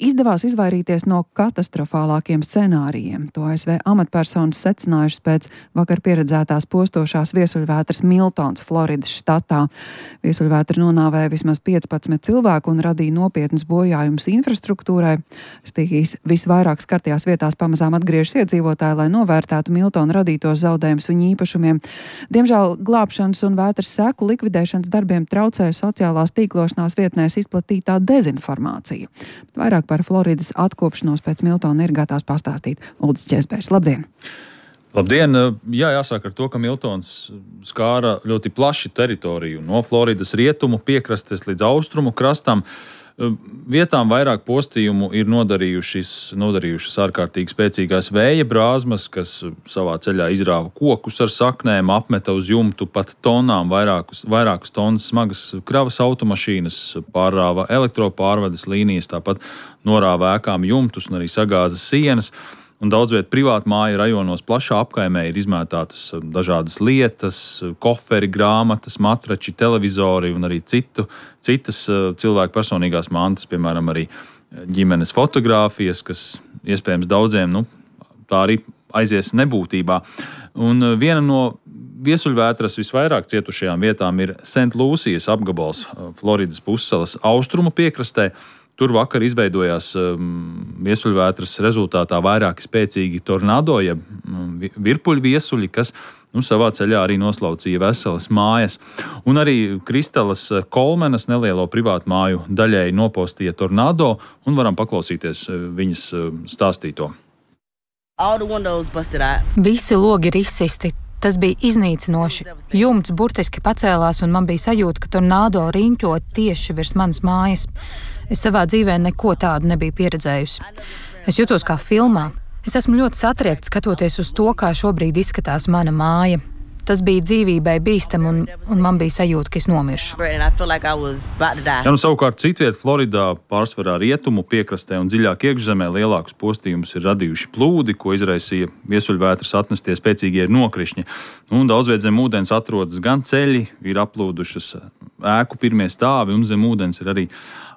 izdevās izvairīties no katastrofālākiem scenārijiem. To ASV amatpersonas secinājušas pēc vakar pieredzētās postošās viesuļvētras Miltons, Floridas štatā. Viesuļvētra nonāvēja vismaz 15 cilvēku un radīja nopietnas bojājumus infrastruktūrai. Stihijas visvairāk skartajās vietās pamazām atgriežas iedzīvotāji, lai novērtētu Miltona radītos zaudējumus viņu īpašumiem. Diemžēl glābšanas un vētras seku likvidēšanas darbiem traucēja sociālās tīklošanās vietnēs izplatītā dezinformācija. Bet vairāk par Floridas atkopšanos pēc Miltona ir gatavs pastāstīt Uldis Ķezbērs. Labdien! Labdien! Jā, jāsāk ar to, ka Miltons skāra ļoti plašu teritoriju no Floridas rietumu piekrastes līdz austrumu krastam. Vietām vairāk postījumu ir nodarījušas ārkārtīgi spēcīgās vēja brāzmas, kas savā ceļā izrāva kokus ar saknēm, apmeta uz jumtu pat tonām vairākas tonnas smagas kravas automašīnas, pārrāva elektropārvades līnijas, tāpat norāva ēkām jumtus un arī sagāza sienas. Un daudz viet privātu māju rajonos plašā apkaimē ir izmētātas dažādas lietas, koferi, grāmatas, matrači, televizori un arī citas cilvēku personīgās mantas, piemēram, arī ģimenes fotogrāfijas, kas iespējams daudziem, tā arī aizies nebūtībā. Un viena no viesuļvētras visvairāk cietušajām vietām ir St. Lūsijas apgabals Floridas pussalas austrumu piekrastē. Tur vakar izveidojās viesuļvētras rezultātā vairāki spēcīgi tornado, jeb virpuļviesuļi, kas savā ceļā arī noslaucīja veselas mājas. Un arī Kristalas Kolmenas nelielo privātu māju daļēji nopostīja tornado, un varam paklausīties viņas stāstīto. Visi logi ir izsisti. Tas bija iznīcinoši. Jumts burtiski pacēlās, un man bija sajūta, ka tornado riņķo tieši virs manas mājas. Es savā dzīvē neko tādu nebiju pieredzējusi. Es jutos kā filmā. Es esmu ļoti satriekta skatoties uz to, kā šobrīd izskatās mana māja. Tas bija dzīvībai bīstam, un man bija sajūta, ka es nomiršu. Savukārt citviet Floridā, pārsvarā rietumu piekrastē un dziļāk iekšzemē lielākus postījumus ir radījuši plūdi, ko izraisīja viesuļvētras atnestie spēcīgie nokrišņi. Daudz viet zem ūdens atrodas gan ceļi, ir aplūdušas ēku pirmie stāvi, un zem ūdens ir arī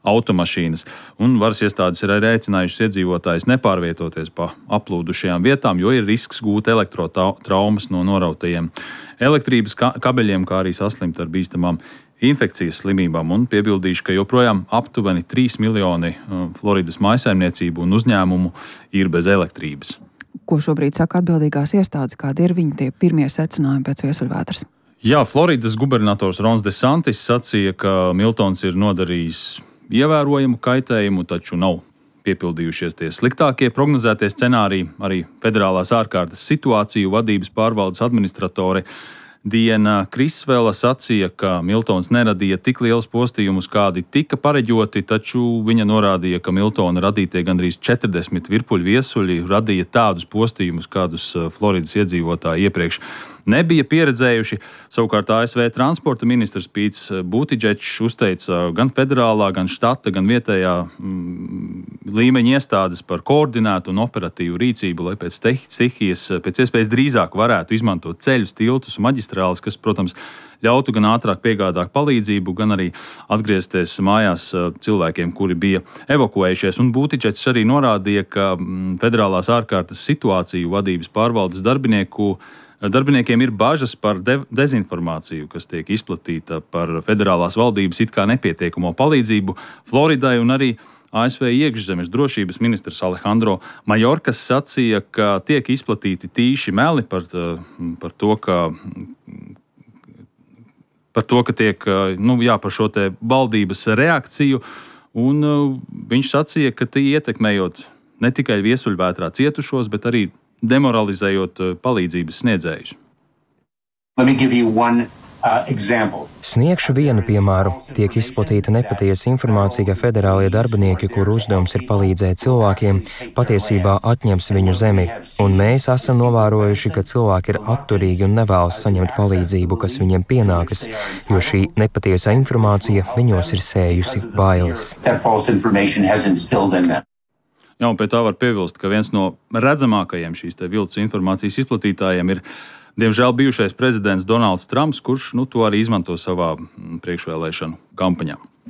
automašīnas. Un varas iestādes ir arī aicinājušas iedzīvotājus nepārvietoties pa aplūdušajām vietām, jo ir risks gūt elektrotraumas no norautajiem elektrības kabeļiem, kā arī saslimt ar bīstamām infekcijas slimībām. Un piebildīšu, ka joprojām aptuveni 3 miljoni Floridas mājsaimniecību un uzņēmumu ir bez elektrības. Ko šobrīd saka atbildīgās iestādes? Kādi ir viņi tie pirmie secinājumi pēc viesuļvētras? Jā, Floridas gubernators Rons DeSantis sacīja, ka Miltons ir nodarījis ievērojamu kaitējumu, taču nav piepildījušies tie sliktākie prognozētie scenāriji. Arī Federālās ārkārtas situāciju vadības pārvaldes administratore Diana Krisvela sacīja, ka Miltons neradīja tik lielus postījumus, kādi tika pareģoti, taču viņa norādīja, ka Miltona radītie gandrīz 40 virpuļviesuļi radīja tādus postījumus, kādus Floridas iedzīvotāji iepriekš nebija pieredzējuši. Savukārt ASV transporta ministrs Pīts Buttiģečs uzteica gan federālā, gan štata, gan vietējā līmeņa iestādes par koordinētu un operatīvu rīcību, lai pēc stihijas pēc iespējas drīzāk varētu izmantot ceļus, tiltus un maģistrāles, kas, protams, ļautu gan ātrāk piegādāt palīdzību, gan arī atgriezties mājās cilvēkiem, kuri bija evakuējušies. Un Buttiģečs arī norādīja, ka Federālās ārkārtas situāciju vadības pārvaldes darbiniekiem ir bažas par dezinformāciju, kas tiek izplatīta par federālās valdības it kā nepietiekamo palīdzību Floridai, un arī ASV iekšzemes drošības ministrs Alejandro Mayorkas sacīja, ka tiek izplatīti tīši meli par šo te valdības reakciju, un viņš sacīja, ka tie ietekmējot ne tikai viesuļvētrā cietušos, bet arī demoralizējot palīdzības sniedzējus. Sniegšu vienu piemēru. Tiek izplatīta nepatiesa informācija, ka federālie darbinieki, kuru uzdevums ir palīdzēt cilvēkiem, patiesībā atņems viņu zemi. Un mēs esam novērojuši, ka cilvēki ir atturīgi un nevēlas saņemt palīdzību, kas viņiem pienākas, jo šī nepatiesā informācija viņos ir sējusi bailes. Jā, un pie tā var piebilst, ka viens no redzamākajiem šīs viltus informācijas izplatītājiem ir, diemžēl, bijušais prezidents Donalds Trumps, kurš to arī izmanto savā priekšvēlēšanu kampaņā.